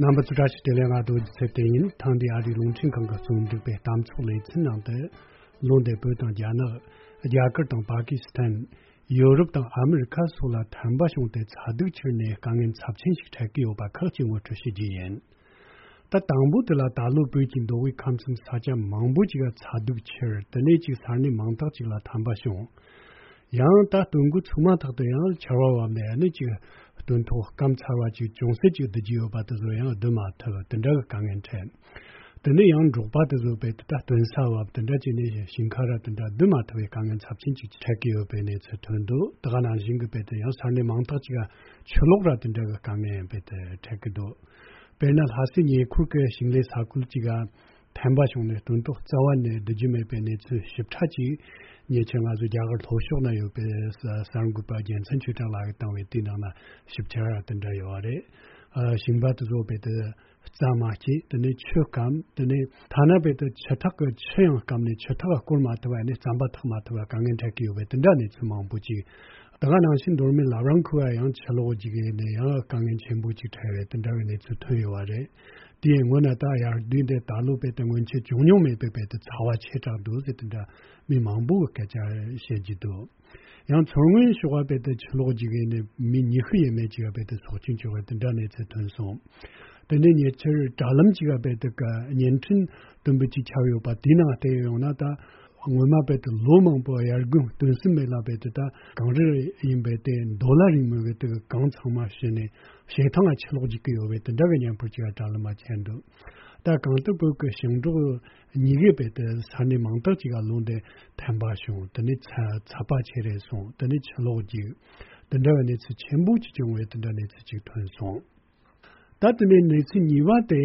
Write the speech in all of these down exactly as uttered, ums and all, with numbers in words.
རྣམ་པ་ཚོ་བཀྲ་ཤིས་བདེ་ལེགས། ང་རྡོ་རྗེ་ཚེ་བརྟན་ཡིན། ཐེངས་འདིའི་ཨ་རིའི་རླུང་འཕྲིན་ཁང་གི་རྩོམ་སྒྲིག་པའི་གཏམ་ཚོགས་ལེ་ཚན་ནང་དུ། ལོ་འདིར་བོད་དང་རྒྱ་ནག་རྒྱ་གར་དང་པ་ཀི་སི་ཐན། ཡོ་རོབ་དང་ཨ་མི་རི་ཁ་སོགས་ལ་ཐན་པ་བྱུང་སྟེ་ཚ་གདུག་ཁྱེར་ནས་དཀའ་ངལ་ཚབས་ཆེན་ཞིག་འཕྲད་ཀྱི་ཡོད་པ་ཁག་ཅིག་ངོ་སྤྲོད་བྱེད་རྒྱུ་ཡིན། ད་དང་པོ་དེ་ལ་ད་ལོ་བོད་ཀྱི་མདོ་དབུས་ཁམས་གསུམ་ས་ཆ་མང་པོ་ཅིག་ལ་ཚ་གདུག་ཁྱེར། དེ་ནས་ཅིག་ས་གནས་མང་དག་ཅིག་ལ་ཐན་པ་བྱུང་། ཡང་ད་སྟོན་འགོ་ཚུགས་མ་ཐག་ཏུ་ཡང་ཆར་པ་བབས་ནས་ནི་ཅིག་སྟོན་ཐོག་སྐམ་ཚར་བ་ཅིག་ཅུང་ཟད་ཅིག་བསྡུ་རྒྱུ་ཡོད་པ་དེ་ཚོ་ཡང་བསྡུ་མ་ཐུབ། དེ་འདྲ་གི་དཀའ་ངལ་འཕྲད། དེ་ནས་ཡང་འབྲོག་པ་དེ་ཚོ་བས་ད་སྟོན་ས་བབས་དེ་འདྲ་བྱས་ནས་ཞིང་ཁ་ར་དེ་འདྲ་བསྡུ་མ་ཐུབ་པའི་དཀའ་ངལ་ཚབས་ཆེན་ཅིག་འཕྲད་ཀྱི་ཡོད་པའི་གནས་ཚུལ་ཐོན་འདུག་དེ་ག་ནང་བཞིན་གྱི་བས་ད་ཡང་ས་གནས་མང་དག་ཅིག་ག་ཆུ་ལོག་ར་དེ་འདྲ་གི་དཀའ་ངལ་བས་ད་འཕྲད་ཀྱི་འདུག་དཔེར་ན་ལྷ་སའི་ཉེ་འཁོར་གྱི་ཞིང་ལས་ས་ཁུལ་ཅིག་ག་ཐན་པ་བྱུང་ནས་སྟོན་ཐོག་རྩ་བ་ནས་བསྡུ་རྒྱུ་མེད་པའི་གནས་ཚུལ་ཞིབ་ཕྲ་ཅིག་ཉེ་ཆར་ང་ཚོ་རྒྱ་གར་ལྷོ་ཕྱོགས་ན་ཡོད་པའི་གསར་འགོད་པ་རྒྱལ་མཚན་ཆོས་གྲགས་ལགས་ཀྱིས་བཏང་བའི་དེའི་ནང་ན་ཞིབ་ཕྲ་དེ་འདྲ་ཡོད་རེད། ཨ། ཞིང་པ་དེ་ཚོ་བས་ད་རྩྭ་མ་སྐྱེས། དེ་ནས་ཆུ་སྐམ། དེ་ནས་ཐ་ན་བས་ད་ཆུ་ཐག་གི་ཆུ་ཡང་སྐམ་ནས་ཆུ་ཐག་སྐོར་མ་ཐུབ་པ་ནས་རྩམ་པ་འཐག་མ་ཐུབ་པ་དཀའ་ངལ་འཕྲད་ཀྱི་ཡོད་པའི་དེ་འདྲ་གནས་ཚུལ་མང་པོ་ཅིག་ད་ག་ནང་བཞིན་མདོ་སྨད་ལབ་ར་ཁུལ་བ་ཡང་ཆུ་ལོག་ཅིག་ནས་ཡང་དཀའ་ངལ་ཆེན་པོ་ཅིག་འཕྲད་པའི་དེ་འདྲ་བའི་གནས་ཚུལ་ཐོན་ཡོད་པ་རེད། དེའི་སྔོན་ན་ད་ཡར་དུས་འདི་ད་ལོ་བས་ད་སྔོན་ཆད་བྱུང་མྱོང་མེད་པའི་བས་ད་ཚ་བ་ཆེ་དྲགས་འདུག་ཟེར་དེ་འདྲ་མི་མང་པོ་གི་སྐད་ཆ་བཤད་ཀྱི་འདུག་ཡང་མཚོ་སྔོན་ཕྱོགས་བས་ད་ཆུ་ལོག་ཅིག་ནས་མི་ཉི་ཤུ་ཡས་མས་ཅིག་བས་ད་སྲོག་སྐྱོན་བྱུང་བའི་དེ་འདྲ་གནས་ཚུལ་ཐོན་སོང་། དེ་ནས་ཉེ་ཆར་དྲ་ལམ་ཅིག་བས་ད་བརྙན་འཕྲིན་དུམ་བུ་ཅིག་ཁྱབ་ཡོད་པ་དེའི་ནང་བལྟས་ཡོང་ན་ད། སྔོན་མ་བས་ད་ལོ་མང་པོ་དབྱར་དགུན་སྟོན་སྲིད་མེད་ལ་བས་ད་ད་གངས་རི་ཡིན་པས་ད་རྡོ་ལ་རིང་མོ་བས་ད་གངས་ཚང་མ་བཞུས་ནས་བྱེ་ཐང་ང་ཆུ་ལོག་རྒྱུག་གི་ཡོད་པས་དེ་འདྲ་གི་མཉམ་སྤོར་ཅིག་དྲ་ལམ་མ་ཁྱེར་འདུག་ད་གང་ལྟར་བོད་ཀྱི་ཞིང་འབྲོག་གཉིས་ཀས་བས་ད་ས་གནས་མང་དག་ཅིག་ག་ལོ་འདི་ཐན་པ་བྱུང་། དེ་ནས་ཚ་ཚ་བ་ཆེ་རེ་སོང་། དེ་ནས་ཆུ་ལོག་རྒྱུག་དེ་འདྲ་བའི་གནས་ཚུལ་ཆེན་པོ་ཅིག་བྱུང་བས་དེ་འདྲ་གནས་ཚུལ་ཅིག་ཐོན་སོང་། ད་དེ་ནས་གནས་ཚུལ་གཉིས་པ་དེ་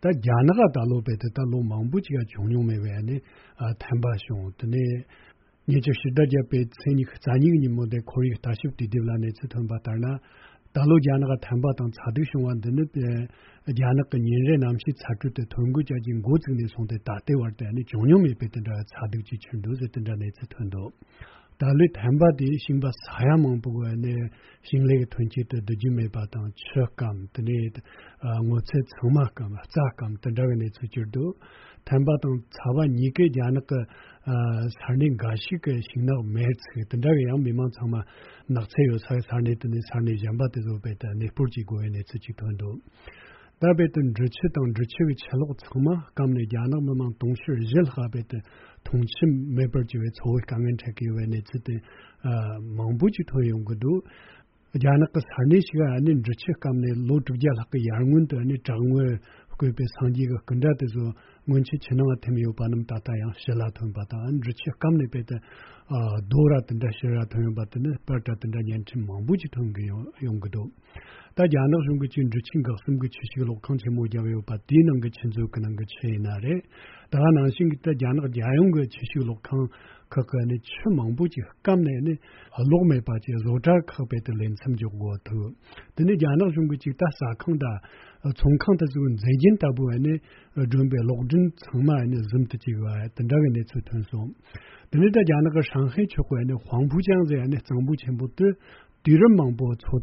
ད་རྒྱ་ནག་ག་ད་ལོ་བས་ད་ད་ལོ་མང་པོ་ཅིག་ཡང་བྱུང་མྱོང་མེད་པའི་ནི་ཨ་ཐན་པ་བྱུང་། དེ་ནས་ཉེ་ཆར་ཕྱི་ཟླ་བརྒྱད་པའི་ཚེས་ཉི་ཤུ་རྩ་གཉིས་ཀྱི་ཉིན་མོ་དེ་ཁོར་ཡུག་ལྟ་ཞིབ་དུས་དེབ་ལ་གནས་ཚུལ་ཐོན་པ་ལྟར་ན། ད་ལོ་རྒྱ་ནག་ག་ཐན་པ་དང་ཚ་གདུག་བྱུང་བ་འདི་ནི་ཨ་རྒྱ་ནག་གི་ཉིན་རེའི་གནམ་གཤིས་ཚ་དྲོད་དེ་ཐོ་འགོད་བྱ་རྒྱུ་འགོ་བཙུགས་ནས་བཟུང་སྟེ་ད་ལྟའི་བར་དུ་ནི་བྱུང་མྱོང་མེད་པའི་དེ་འདྲ་ཚ་གདུག་ཅིག་ཁྱེར་འདུག་ཟེར་དེ་འདྲ་གནས་ཚུལ་ཐོན་འདུག་ད་ལོའི་ཐན་པ་དེ་ཞིང་པ་ས་ཡ་མང་པོ་གི་ནས་ཞིང་ལས་ཀྱི་ཐོན་སྐྱེད་དེ་བསྡུ་རྒྱུ་མེད་པ་དང་། ཆུ་སྐམ། དེ་ནས་ཨ་སྔོ་ཚལ་ཚང་མ་སྐམ། རྩྭ་སྐམ། དེ་འདྲ་བའི་གནས་ཚུལ་གྱུར་འདུག་ཐན་པ་དང་ཚ་བ་གཉིས་ཀས་རྒྱ་ནག་གི་ཨ་ས་གནས་འགའ་ཞིག་གི་ཤིང་ནགས་མེར་ཚིག་དེ་འདྲ་བའི་ཡང་མི་མང་ཚང་མ་ནགས་ཚལ་ཡོད་ས་ས་གནས་དེ་ནས་ས་གནས་གཞན་པ་དེ་ཚོ་བས་ད་གནས་སྤོར་བྱེད་དགོས་པའི་གནས་ཚུལ་ཅིག་ཐོན་འདུག་ད་བས་ད་འབྲི་ཆུ་དང་འབྲི་ཆུ་གི་ཆུ་ལོག་ཚང་མ་སྐམ་ནས་རྒྱ་ནག་མི་མང་དུང་ཕྱུར་བཞི་ལྷག་བས་ད་འཐུང་ཆུ་མེད་པར་གྱུར་བའི་འཚོ་བའི་དཀའ་ངལ་འཕྲད་ཀྱི་ཡོད་པའི་གནས་ཚུལ་དེ་ཨ་མང་པོ་ཅིག་ཐོན་ཡོང་གི་འདུག་རྒྱ་ནག་གི་ས་གནས་ཤིག་ཨ་ནི་འབྲི་ཆུ་སྐམ་ནས་ལོ་དྲུག་བརྒྱ་ལྷག་གི་ཡར་སྔོན་དུ་ཨ་ནི་བྲག་ངོས་བརྐོས་པའི་སངས་རྒྱས་ཀྱི་སྐུ་འདྲ་དེ་ཚོ་སྔོན་ཆད་ཆུ་ནང་ཐིམ་ཡོད་པ་རྣམས་ད་ལྟ་ཡང་ཕྱི་ལ་ཐོན་པ་དང་། འབྲི་ཆུ་སྐམ་ནས་བས་ད་ཨ་རྡོ་ར་དེ་འདྲ་ཕྱི་ར་ཐོན་ཡོད་པ་དེ་ནི་པར་འདྲ་དེ་འདྲ་བརྙན་འཕྲིན་མང་པོ་ཅིག་ཐོན་གི་ཡོང་ཡོང་གི་འདུག་ད་རྒྱ་ནག་གཞུང་གིས་ཅིག་འབྲི་ཆུའི་འགག་གསུམ་གྱི་ཆུ་བཤུད་གློག་ཁང་ཆེན་མོ་བརྒྱབ་ཡོད་པ་དེའི་ནང་གི་ཆུ་མཛོད་ཀྱི་ནང་གི་ཆུ་ཡིན་ན་རེད། ད་ག་ནང་བཞིན་གྱི་ད་རྒྱ་ནག་རྒྱལ་ཡོངས་ཀྱི་ཆུ་བཤུད་གློག་ཁང་ཁག་གི་ནི་ཆུ་མང་པོ་ཅིག་སྐམ་ནས་ནི་གློག་མེད་པ་ཅིག་བཟོ་གྲྭ་ཁག་བས་ད་ལས་མཚམས་འཇོག་དགོས་ཐུག་དེ་ནི་རྒྱ་ནག་གཞུང་གིས་ཅིག་ད་ཟ་ཁང་དང་ཚོང་ཁང་དེ་ཚོའི་མཛེས་རྒྱན་ལྟ་བུ་བས་ནི་སྒྲོན་པའི་གློག་སྒྲོན་ཚང་མ་ནི་ཟུམ་དུ་བཅུག་པ་དེ་འདྲ་བའི་གནས་ཚུལ་ཐོན་སོང་། དེ་ནི་ད་རྒྱ་ནག་གི་ཧྲང་ཧའེ་ཕྱོགས་བས་ནི་ཧུང་ཕུ་ཅང་ཟེར་ཡ་ནི་གཙང་པོ་ཆེན་པོ་དེ། དུས་རབས་མང་པོ་མཚོ་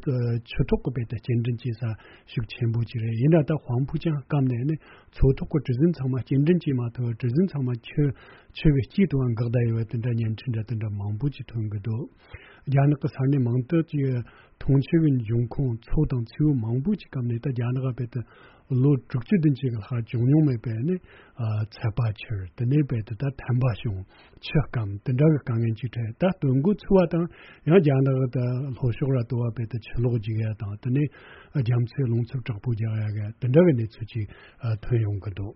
ཆུ་ཐོག་གི་བས་ད་སྐྱེལ་འདྲེན་བྱེད་ས་ཤུགས་ཆེན་པོ་ཅིག་རེད། ཡིན་ན་ད་ཧུང་ཕུ་ཅང་སྐམ་ནས་ནི་མཚོ་ཐོག་གི་གྲུ་གཟིངས་ཚང་མ་སྐྱེལ་འདྲེན་བྱེད་མ་ཐུབ་པར་གྲུ་གཟིངས་ཚང་མ་ཆུ་ཆུ་གི་དཀྱིལ་དུ་འགག་བསྡད་ཡོད་པའི་དེ་འདྲ་བརྙན་འཕྲིན་འདྲ་དེ་འདྲ་མང་པོ་ཅིག་ཐོན་གི་འདུག་རྒྱ་ནག་གི་ས་གནས་མང་དག་ཅིག་འཐུང་ཆུ་གི་འབྱུང་ཁུངས་མཚོ་དང་མཚེའུ་མང་པོ་ཅིག་སྐམ་ནས་ད་རྒྱ་ནག་བས་ད་ལོ་དྲུག་ཅུ་བདུན་ཅུ་གི་ལྷག་བྱུང་མྱོང་མེད་པའི་ནི་ཨ་ཚད་པ་ཁྱེར། དེ་ནས་བས་ད་ད་ཐན་པ་བྱུང་། ཆུ་སྐམ། དེ་འདྲ་གི་དཀའ་ངལ་ཅིག་འཕྲད། ད་སྟོན་འགོ་ཚུགས་པ་དང་ཡང་རྒྱ་ནག་ད་ལྷོ་ཕྱོགས་ར་ལྟོ་བ་བས་ད་ཆུ་ལོག་རྒྱུག་ཡ་དང་། དེ་ནས་རྒྱ་མཚོའི་རླུང་འཚུབ་དྲག་པོ་རྒྱག་ཡ་གི་དེ་འདྲ་གི་གནས་ཚུལ་ཅིག་ཨ་ཐོན་ཡོང་གི་འདུག་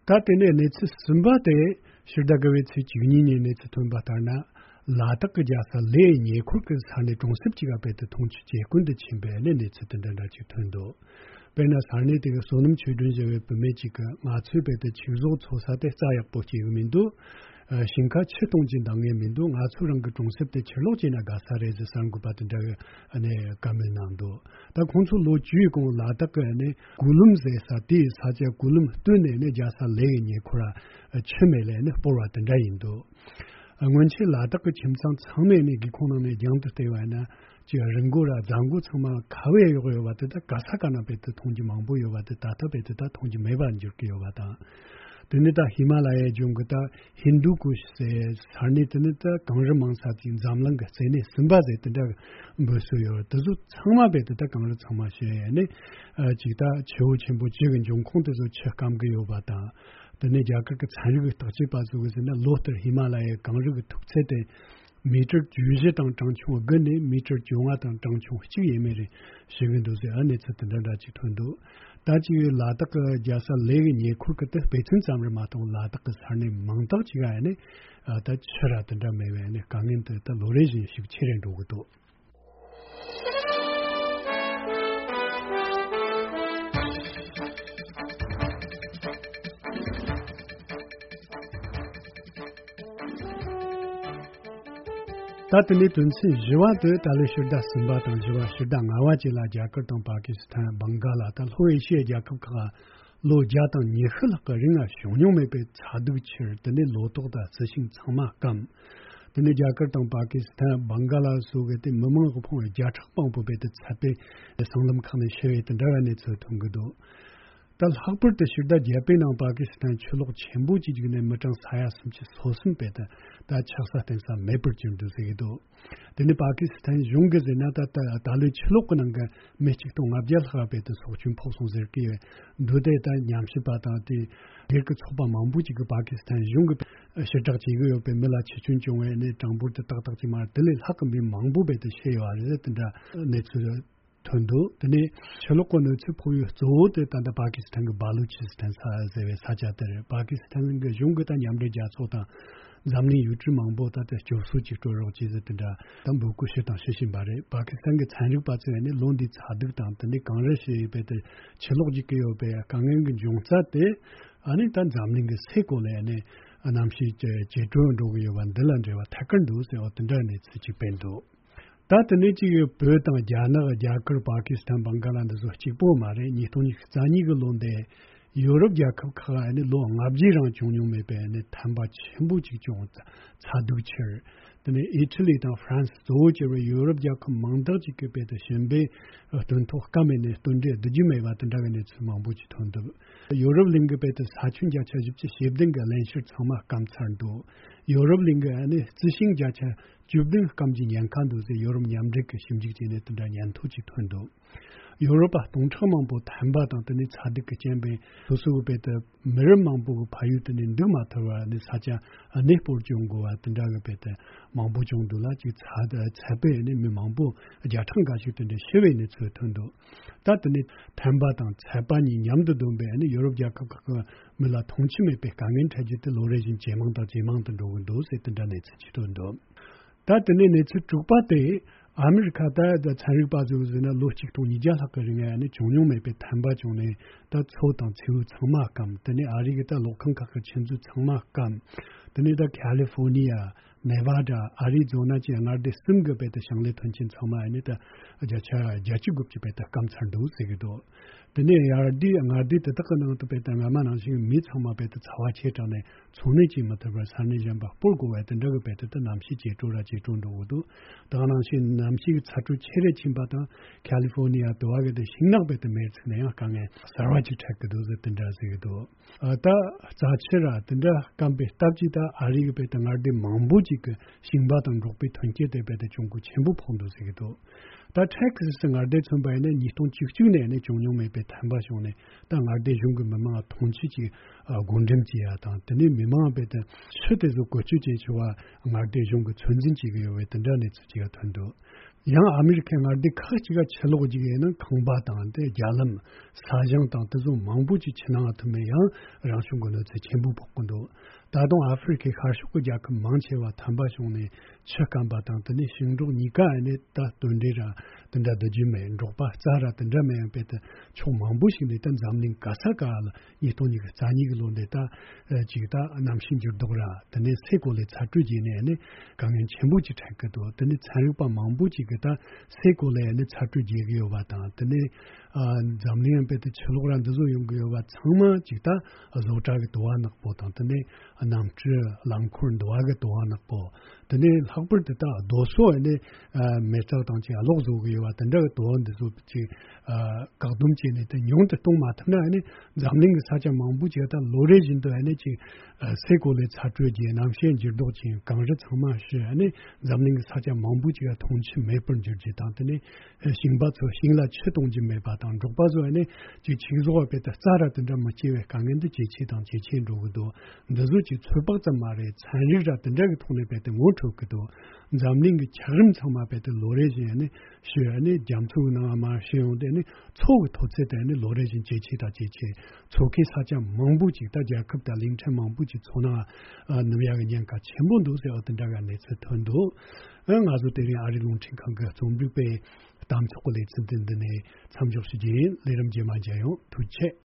ད་དེ་ནས་གནས་ཚུལ་གསུམ་པ་དེ་ཕྱི་ཟླ་དགུ་པའི་ཚེས་བཅུ་གཉིས་ཉིན་གནས་ཚུལ་ཐོན་པ་ལྟར་ན། ལ་དྭགས་ཀྱི་རྒྱལ་ས་ལེའི་ཉེ་འཁོར་གྱི་ས་གནས་གྲོང་གསེབ་ཅིག་ལ་བས་ད་འཐུང་ཆུ་ཇེ་དཀོན་དུ་ཕྱིན་པའི་གནས་གནས་ཚུལ་དེ་འདྲ་འདྲ་ཅིག་ཐོན་འདུག་དཔེར་ན་ས་གནས་དེ་གའི་བསོད་ནམས་ཆོས་སྒྲོན་ཟེར་བའི་བུད་མེད་ཅིག་གིས་ང་ཚོའི་བས་ད་ཆུ་བཟོ་འཚོ་ས་དེ་རྩྭ་ཡག་པོ་སྐྱེ་གི་མི་འདུག་ཨ་ཞིང་ཁ་ཆུ་གཏོང་རྒྱུ་འདང་ངེས་མི་འདུག་ང་ཚོ་རང་གི་གྲོང་གསེབ་དེ་ཆུ་ལོག་བྱས་ན་དགའ་ས་རེད་ཟེར་གསར་འགོད་པ་དེ་འདྲ་གིས་ཨ་ནི་བཀའ་མོལ་གནང་འདུག་ད་ཁོང་ཚོ་ལོ་བཅུའི་གོང་ལ་དྭགས་ཀྱི་ཨ་ནི་གུ་ལུམ་ཟེར་ས་དེའི་ས་ཆ་གུ་ལུམ་སྟོད་ནས་ནི་རྒྱལ་ས་ལེའི་ཉེ་འཁོར་ལ་ཆུ་མེད་ལས་ཨ་ནི་སྤོར་བ་དེ་འདྲ་ཡིན་འདུག་སྔོན་ཆད་ལ་དྭགས་ཀྱི་ཁྱིམ་ཚང་ཚང་མས་ནི་སྒེའུ་ཁུང་ནང་ནས་རྒྱང་དུ་བལྟས་པ་ཡིན་ན། ཅིག་རི་མགོ་ར་རྫ་མགོ་ཚང་མ་ཁ་བས་གཡོགས་ཡོད་པ་དེ་དག་ག་ས་ག་ན་རྦད་དེ་མཐོང་རྒྱུ་མང་པོ་ཡོད་པ་དེ་ད་ལྟ་རྦད་དེ་ད་མཐོང་རྒྱུ་མེད་པར་འགྱུར་གྱི་ཡོད་པ་དང་། དེ་ནི་ད་ཧི་མ་ལ་ཡའི་ལྗོངས་ཀྱི་ད་ཧིན་དུ་ཀུཤ་ཟེར་ས་གནས་དེ་ནི་ད་གངས་རི་མང་ས་ཅིག་འཛམ་གླིང་གི་རྩེ་ནས་གསུམ་པ་ཟེར་དེ་འདྲ་འབོད་སྲོལ་ཡོད། དེ་ཚོ་ཚང་མ་རྦད་དེ་ད་གངས་རི་ཚང་མ་ཞེས་ནི་ཅིག་ད་ཆུ་བོ་ཆེན་པོ་བཅུ་གི་འབྱུང་ཁུངས་དེ་ཚོ་ཆུ་སྐམ་གི་ཡོད་པ་དང་། དེ་ནས་རྒྱ་གར་གྱི་ཚན་རིག་གི་བརྟག་དཔྱད་པ་ཚོ་གིས་ཟེར་ན་ལོ་ལྟར་ཧི་མ་ལ་ཡའི་གངས་རི་གི་མཐུག་ཚད་དེ་མི་ཊར་བཅུ་བཞི་དང་གྲངས་ཆུང་དགུ་ནས་མི་ཊར་བཅོ་ལྔ་དང་གྲངས་ཆུང་གཅིག་ཡས་མས་རེད་ཞུ་གི་འདུག་ཟེར། ཨ་གནས་ཚུལ་དེ་འདྲ་འདྲ་ཅིག་ཐོན་འདུག་ད་ཅིག་ལ་དྭགས་ཀྱི་རྒྱལ་ས་གླེ་གི་ཉེ་འཁོར་གྱི་དེ་དཔེ་མཚོན་ཙམ་རེད་མ་གཏོགས་ལ་དྭགས་ཀྱི་ས་གནས་མང་དག་ཅིག་ཨ་ནི་ད་ཆུ་ར་དེ་འདྲ་མེད་པས་ནི་དཀའ་ངལ་དེ་ད་ལོ་རེ་བཞིན་ཤུགས་ཆེ་རུ་འགྲོ་གི་འདུག་ད་དེ་ནས་དོན་ཚན་བཞི་བ་དེ་ད་ལོའི་ཕྱི་ཟླ་གསུམ་པ་དང་བཞི་བ་ཕྱི་ཟླ་ལྔ་བ་བཅས་ལ་རྒྱ་གར་དང་པ་ཀི་སི་ཐན། བང་ག་ལ། ད་ལྷོ་ཨེ་ཤི་ཡའི་རྒྱལ་ཁབ་ཁག་ལོ་བརྒྱ་དང་ཉི་ཤུ་ལྷག་གི་རིང་ལ་བྱུང་མྱོང་མེད་པའི་ཚ་གདུག་ཁྱེར། དེ་ནས་ལོ་ཏོག་དང་རྩི་ཤིང་ཚང་མ་སྐམ། དེ་ནས་རྒྱ་གར་དང་པ་ཀི་སི་ཐན། བང་ག་ལ་སོགས་ཀྱི་དེ་མི་མང་གི་ཕོངས་བརྒྱ་ཕྲག་མང་པོ་རྦད་དེ་ཚད་པའི་སྲང་ལམ་ཁག་ནས་ཤི་བའི་དེ་འདྲ་བའི་གནས་ཚུལ་ཐོན་གྱི་འདུག་ད་ལྷག་པར་དུ་ཕྱི་ཟླ་བརྒྱད་པའི་ནང་པ་ཀི་སི་ཐན་ཆུ་ལོག་ཆེན་པོ་ཅིག་བརྒྱུད་ནས་མི་གྲངས་ས་ཡ་སུམ་ཅུ་སོ་གསུམ་རྦད་དེ་ད་ཆགས་ས་རྟེན་ས་མེད་པར་གྱུར་འདུག་ཟེར་གྱི་འདུག་དེ་ནི་པ་ཀི་སི་ཐན་གཞུང་གིས་ཟེར་ན་ད་ད་ད་ལོའི་ཆུ་ལོག་གི་ནང་གི་མི་གཅིག་སྟོང་ལྔ་བརྒྱ་ལྷག་རྦད་དེ་སྲོག་སྐྱོན་ཕོག་སོང་ཟེར་གྱི་ཡོད། འདུག་སྟེ་ད་ཉམས་ཞིབ་པ་དང་དེ་སྒེར་གྱི་ཚོགས་པ་མང་པོ་ཅིག་གིས་པ་ཀི་སི་ཐན་གཞུང་གིས་ཕྱིར་བསྒྲགས་བྱེད་ཀྱི་ཡོད་པའི་མི་ལ་འཆི་སྐྱོན་བྱུང་བའི་ནི་གྲངས་འབོར་དེ་ཏག་ཏག་ཅིག་མ་རེད། དེ་ལས་ལྷག་གི་མི་མང་པོ་རྦད་དེ་ཤི་ཡོད་རེད་ཟེར་དེ་འདྲ་གནས་ཚུལ་ཐོན་འདུག་དེ་ནས་ཆུ་ལོག་གི་གནོད་འཚེ་ཕོག་ཡུལ་གཙོ་བོ་དེ་ད་ལྟ་པ་ཀི་སི་ཐན་གྱི་སྦ་ལུ་ཅི་སི་ཐན་ས་ཟེར་བའི་ས་ཆ་དེ་རེད། པ་ཀི་སི་ཐན་གྱི་གཞུང་གིས་ད་མཉམ་འབྲེལ་རྒྱལ་ཚོགས་དང་འཛམ་གླིང་ཡུལ་གྲུ་མང་པོ་ད་ལྟ་སྐྱོབ་གསོ་ཅིག་སྤྲོད་རོགས་གྱིས་ཟེར་དེ་འདྲ་ད་འབོད་སྐུལ་ཞུས་དང་ཞུ་བཞིན་པ་རེད། པ་ཀི་སི་ཐན་གྱི་ཚན་རིག་པ་ཚོས་ནི་ལོ་འདིའི་ཚ་གདུག་དང་དེ་ནས་གངས་རི་ཞེས་པའི་དེ་ཆུ་ལོག་ཅིག་གི་ཡོད་པའི་དཀའ་ངལ་གྱི་འབྱུང་རྩ་དེ་ཨ་ནི་ད་འཛམ་གླིང་གི་སའི་གོ་ལའི་ནི་གནམ་གཤིས་ཇེ་དྲོ་འགྲོ་གི་ཡོད་པ་འདི་ལ་འབྲེལ་བ་ཐད་ཀར་འདུག་ཟེར་བ་དེ་འདྲ་གནས་ཚུལ་ཅིག་སྤེལ་འདུག་ད་དེ་ནས་གཅིག་ཡོད། བོད་དང་རྒྱ་ནག་རྒྱ་གར་པ་ཀི་སི་ཐན་བང་ག་ལ་འདི་ཚོ་གཅིག་པོ་མ་རེད། ཉིས་སྟོང་ཉི་ཤུ་རྩ་གཉིས་ཀྱི་ལོ་འདི་ཡོ་རོབ་རྒྱལ་ཁབ་ཁག་ནས་ལོ་ལྔ་བརྒྱའི་རིང་བྱུང་མྱོང་མེད་པའི་ནི་ཐན་པ་ཆེན་པོ་གཅིག་བྱུང་། ཚ་གདུག་ཁྱེར། དེ་ནས་ཨི་ཊ་ལི་དང་ཧྥ་རན་སི་གཙོ་བོ་གྱུར་བའི་ཡོ་རོབ་རྒྱལ་ཁབ་མང་དག་ཅིག་གི་དཔེ་དེ་བྱིན་པས་སྟོན་ཐོག་སྐམ་མེད་ནས་སྟོན་འབྲས་བསྡུ་རྒྱུ་མེད་པ་དེ་འདྲ་བའི་གནས་ཚུལ་མང་པོ་ཅིག་ཐོན་འདུག་ཡོ་རོབ་གླིང་གི་དཔེ་དེ་ས་ཁྱོན་བརྒྱ་ཆ་བཞི་བཅུ་ཞེ་བདུན་གྱི་བརླན་གཤེར་ཚང་མ་སྐམ་ཚར་འདུག་ཡོ་རོབ་གླིང་གི་ནི་རྩི་ཤིང་བརྒྱ་ཆ་བཅུ་བདུན་སྐམ་གྱི་ཉེན་ཁ་འདུག་ཟེར་ཡོ་རོབ་མཉམ་འབྲེལ་གྱི་ཞིབ་འཇུག་བྱས་ནས་དེ་འདྲ་ཉེན་ཐོ་ཅིག་ཐོན་འདུག་ཡོ་རོབ་པ་སྟོང་ཕྲག་མང་པོ་ཐན་པ་དང་དེ་ནས་ཚ་གདུག་གི་རྐྱེན་པས་སོ་སོའི་དཔེ་དེ་མི་རབས་མང་པོ་གི་ཕ་ཡུལ་དེ་ནས་འདུག་མ་ཐུབ་པར་ནི་ས་ཆ་གནས་སྤོར་བྱུང་དགོས་པ་དེ་འདྲ་གི་དཔེ་དེ་མང་པོ་བྱུང་འདུག་ལ། གཅིག་ཚ་ཚད་པས་ནི་མི་མང་པོ་བརྒྱ་ཕྲག་འགའ་ཞིག་དེ་འདྲ་ཤི་བའི་གནས་ཚུལ་ཐོན་འདུག་ད་དེ་ནས་ཐན་པ་དང་ཚད་པ་གཉིས་མཉམ་དུ་བསྡོམས་པས་ནི་ཡོ་རོབ་རྒྱལ་ཁབ་ཁག་གི་མི་ལ་མཐོང་ཆོས་མེད་པའི་དཀའ་ངལ་འཕྲད་རྒྱུ་དེ་ལོ་རེ་བཞིན་ཇེ་མང་དང་ཇེ་མང་དུ་འགྲོ་གི་འདུག་ཟེར་དེ་འདྲ་གནས་ཚུལ་ཅིག་ཐོན་འདུག་ད་དེ་ནས་གནས་ཚུལ་དྲུག་པ་དེ་ཨ་མི་རི་ཁ་ད་ཚན་རིག་པ་ཚོས་ཟེར་ན་ལོ་གཅིག་སྟོང་ཉིས་བརྒྱ་ལྷག་གི་རིང་ལ་ནི་བྱུང་མྱོང་མེད་པའི་ཐན་པ་བྱུང་ནས་ད་མཚོ་དང་མཚེའུ་ཚང་མ་སྐམ། དེ་ནས་ཨ་རི་གི་ད་གློག་ཁང་ཁག་གི་ཆུ་མཛོད་ཚང་མ་སྐམ། དེ་ནས་ད་ཁ་ལི་ཧྥོ་ནི་ཡ། ནེ་ཝ་ཌ། ཨ་རི་ཛོ་ན་བཅས་མངའ་སྡེ་གསུམ་གྱི་དཔེ་དེ་ཞིང་ལས་ཐོན་སྐྱེད་ཚང་མ་ནི་ད་བརྒྱ་ཆ་བརྒྱད་ཅུ་དགུ་བཅུ་དཔེ་དེ་སྐམ་ཚར་འདུག་ཟེར་གྱི་འདུག་དེ་ནས་ཡར་རྒྱས་མངའ་སྡེ་དེ་དག་གི་ནང་དུ་དཔེ་དེ་སྔ་མ་ནང་བཞིན་མི་ཚང་མ་དཔེ་དེ་ཚ་བ་ཆེ་དྲགས་ནས་འཚོ་གནས་བྱེད་མི་ཐུབ་པར་ས་གནས་གཞན་པ་སྤོར་དགོས་པ་དེ་འདྲ་གི་དཔེ་དེ་དེ་གནམ་གཤིས་ཇེ་དྲོ་ར་ཇེ་དྲོ་འགྲོ་གི་འདུག་ད་ག་ནང་བཞིན་གནམ་གཤིས་ཀྱི་ཚ་དྲོད་ཆེ་རུ་ཕྱིན་པ་དང་ཁ་ལི་ཧྥོ་ནི་ཡ་དུ་བ་གི་དེ་ཤིང་ནགས་དཔེ་དེ་མེར་ཚིག་ནས་ཡང་དཀའ་ངལ་གསར་བ་ཅིག་འཕྲད་ཀྱི་འདུག་ཟེར་དེ་འདྲ་ཟེར་གྱི་འདུག་ཨ་ད་རྩ་ཆེ་ར་དེ་འདྲ་སྐམ་པའི་སྟབས་ཀྱིས་ད་ཨ་རི་གི་དཔེ་དེ་མངའ་སྡེ་མང་པོ་ཅིག་གི་ཞིང་པ་དང་འབྲོག་པའི་ཐོན་སྐྱེད་དེ་དཔེ་དེ་གྱོང་གུན་ཆེན་པོ་ཕོག་འདུག་ཟེར་གྱི་འདུག་ད་ཊེག་སི་སི་མངའ་སྡེ་མཚོན་པ་ཡིན་ན་ཉིས་སྟོང་བཅུ་གཅིག་ནས་ནི་བྱུང་མྱོང་མེད་པའི་ཐན་པ་བྱུང་ནས་ད་མངའ་སྡེ་གཞུང་གི་མི་མང་ལ་མཐོང་ཆོས་ཀྱི་ཨ་བགོ་འགྲེམས་བྱེད་ཡ་དང་དེ་ནས་མི་མང་དཔེ་དེ་ཆུ་དེ་ཚོ་བཀོལ་སྤྱོད་བྱེད་ཆོག་པ་མངའ་སྡེ་གཞུང་གི་ཚོད་འཛིན་བྱེད་ཀྱི་ཡོད་པའི་དེ་འདྲ་གནས་ཚུལ་ཅིག་ཐོན་འདུག་ཡང་ཨ་མི་རི་ཁའི་མངའ་སྡེ་ཁག་ཅིག་ག་ཆུ་ལོག་ཅིག་ཡིན་ན་ཁང་པ་དང་དེ་རྒྱ་ལམ། ས་ཞིང་དང་དེ་ཚོ་མང་པོ་ཅིག་ཆུ་ནང་ཐིམ་ནས་ཡང་རང་བྱུང་གི་གནོད་འཚེ་ཆེན་པོ་ཕོག་གི་འདུག་ད་དུང་ཨ་ཧྥེ་རི་ཁའི་ཤར་ཕྱོགས་ཀྱི་རྒྱལ་ཁབ་མང་ཆེ་བ་ཐན་པ་བྱུང་ནས་ཆུ་སྐམ་པ་དང་དེ་ནས་ཞིང་འབྲོག་གཉིས་ཀ་ནས་ད་སྟོན་འབྲས་ར་དེ་འདྲ་བསྡུ་རྒྱུ་མེད། འབྲོག་པ་རྩྭ་ར་དེ་འདྲ་མེད། ཡང་དཔེ་དེ་ཕྱོགས་མང་པོ་ཞིག་ནས་ད་འཛམ་གླིང་ག་ས་ག་ལ་ཉིས་སྟོང་ཉི་ཤུ་རྩ་གཉིས་ཀྱི་ལོ་འདི་ད་ཅིག་ད་གནམ་གཤིས་འགྱུར་ལྡོག་ར་དེ་ནས་སའི་གོ་ལའི་ཚ་དྲོད་རྒྱས་ནས་ནི་དཀའ་ངལ་ཆེན་པོ་ཅིག་འཕྲད་ཀྱི་འདུག་དེ་ནས་ཚན་རིག་པ་མང་པོ་ཅིག་ གི་ད་སའི་གོ་ལའི་ཨ་ནི་ཚ་དྲོད་རྒྱས་ཀྱི་ཡོད་པ་དང་། དེ་ནས་ཨ་འཛམ་གླིང་ཡང་དཔེ་དེ་ཆུ་ལོག་ར་འདི་ཚོ་ཡོང་གི་ཡོད་པ་ཚང་མ་ཅིག་ད་བཟོ་གྲྭ་གི་དུ་བ་ནག་པོ་དང་། དེ་ནས་གནམ་གྲུ་རླངས་འཁོར་འདི་བ་གི་དུ་བ་ནག་པོ། དེ་ནས་ལྷག་པར་དུ་ད་རྡོ་སོལ་ཨ་ནི་ཨ་མེ་སྟག་དང་ཅིག་གློག་བཟོ་གི་ཡོད་པ་དེ་འདྲ་གི་དུ་བ་འདི་ཚོ་ཅིག་ཨ་བཀག་སྡོམ་བྱས་ནས་དེ་ཉུང་དུ་གཏོང་མ་ཐུབ་ན། ཨ་ནི་འཛམ་གླིང་གི་ས་ཆ་མང་པོ་ཅིག་ད་ལོ་རེ་བཞིན་དུ་ཨ་ནི་ཅིག་ཨ་སའི་གོ་ལའི་ཚ་དྲོད་རྒྱས། གནམ་གཤིས་འགྱུར་ལྡོག་ཅིག་གངས་རི་ཚང་མ་ཞི། ཨ་ནི་འཛམ་གླིང་གི་ས་ཆ་མང་པོ་ཅིག་ལ་འཐུང་ཆུ་མེད་པར་འགྱུར་རྒྱུ་དང་། དེ་ནས་ཞིང་པ་ཚོ་ཞིང་ལ་ཆུ་གཏོང་རྒྱུ་མེད་པ་དང་། འབྲོག་པ་ཚོ་ཨ་ནི་ཅིག་ཆུ་བཟོ་བ་དཔེ་ད་རྩྭ་ར་དེ་འདྲ་མི་སྐྱེ་བའི་དཀའ་ངལ་འདི་ཇེ་ཆེ་དང་ཇེ་ཆེ་འགྲོ་གི་འདུག་འདི་ཚོ་ཅིག་ཚོད་དཔག་ཙམ་མ་རེད། ཚན་རིག་ར་དེ་འདྲ་གི་ཐོག་ནས་དཔེ་དེ་ངོ་འཕྲོད་ཀྱི་འདུག་འཛམ་གླིང་གི་འཁྱགས་རོམ་ཚང་མ་དཔེ་དེ་ལོ་རེ་བཞིན་ཨ་ནི་ཞུ། ཨ་ནི་རྒྱ་མཚོའི་ནང་མར་ཞུ་ཡོང་དེ་ཨ་ནི་མཚོ་གི་མཐོ་ཚད་དེ་ཨ་ནི་ལོ་རེ་བཞིན་ཇེ་ཆེ་དང་ཇེ་ཆེ། མཚོ་ཁའི་ས་ཆ་མང་པོ་ཅིག་ད་རྒྱལ་ཁབ་དང་གླིང་ཕྲན་མང་པོ་ཅིག་མཚོ་ནང་ཨ་ནུབ་ཡག་གི་ཉེན་ཁ་ཆེན་པོ་འདུག་ཟེར་བ་དེ་འདྲ་ག་གནས་ཚུལ་ཐོན་འདུག་ཨ་ང་ཚོ་དེ་རིང་ཨ་རིའི་རླུང་འཕྲིན་ཁང་གི་རྩོམ་སྒྲིག་པའི་གཏམ་ཚོགས་ཀྱི་ལེ་ཚན་དེ་འདི་ནས་མཚམས་འཇོག་ཞུ་རྒྱུ་ཡིན། ལས་རིམ་རྗེས་མ་མཇལ་ཡོང་། ཐུགས་རྗེ་ཆེ།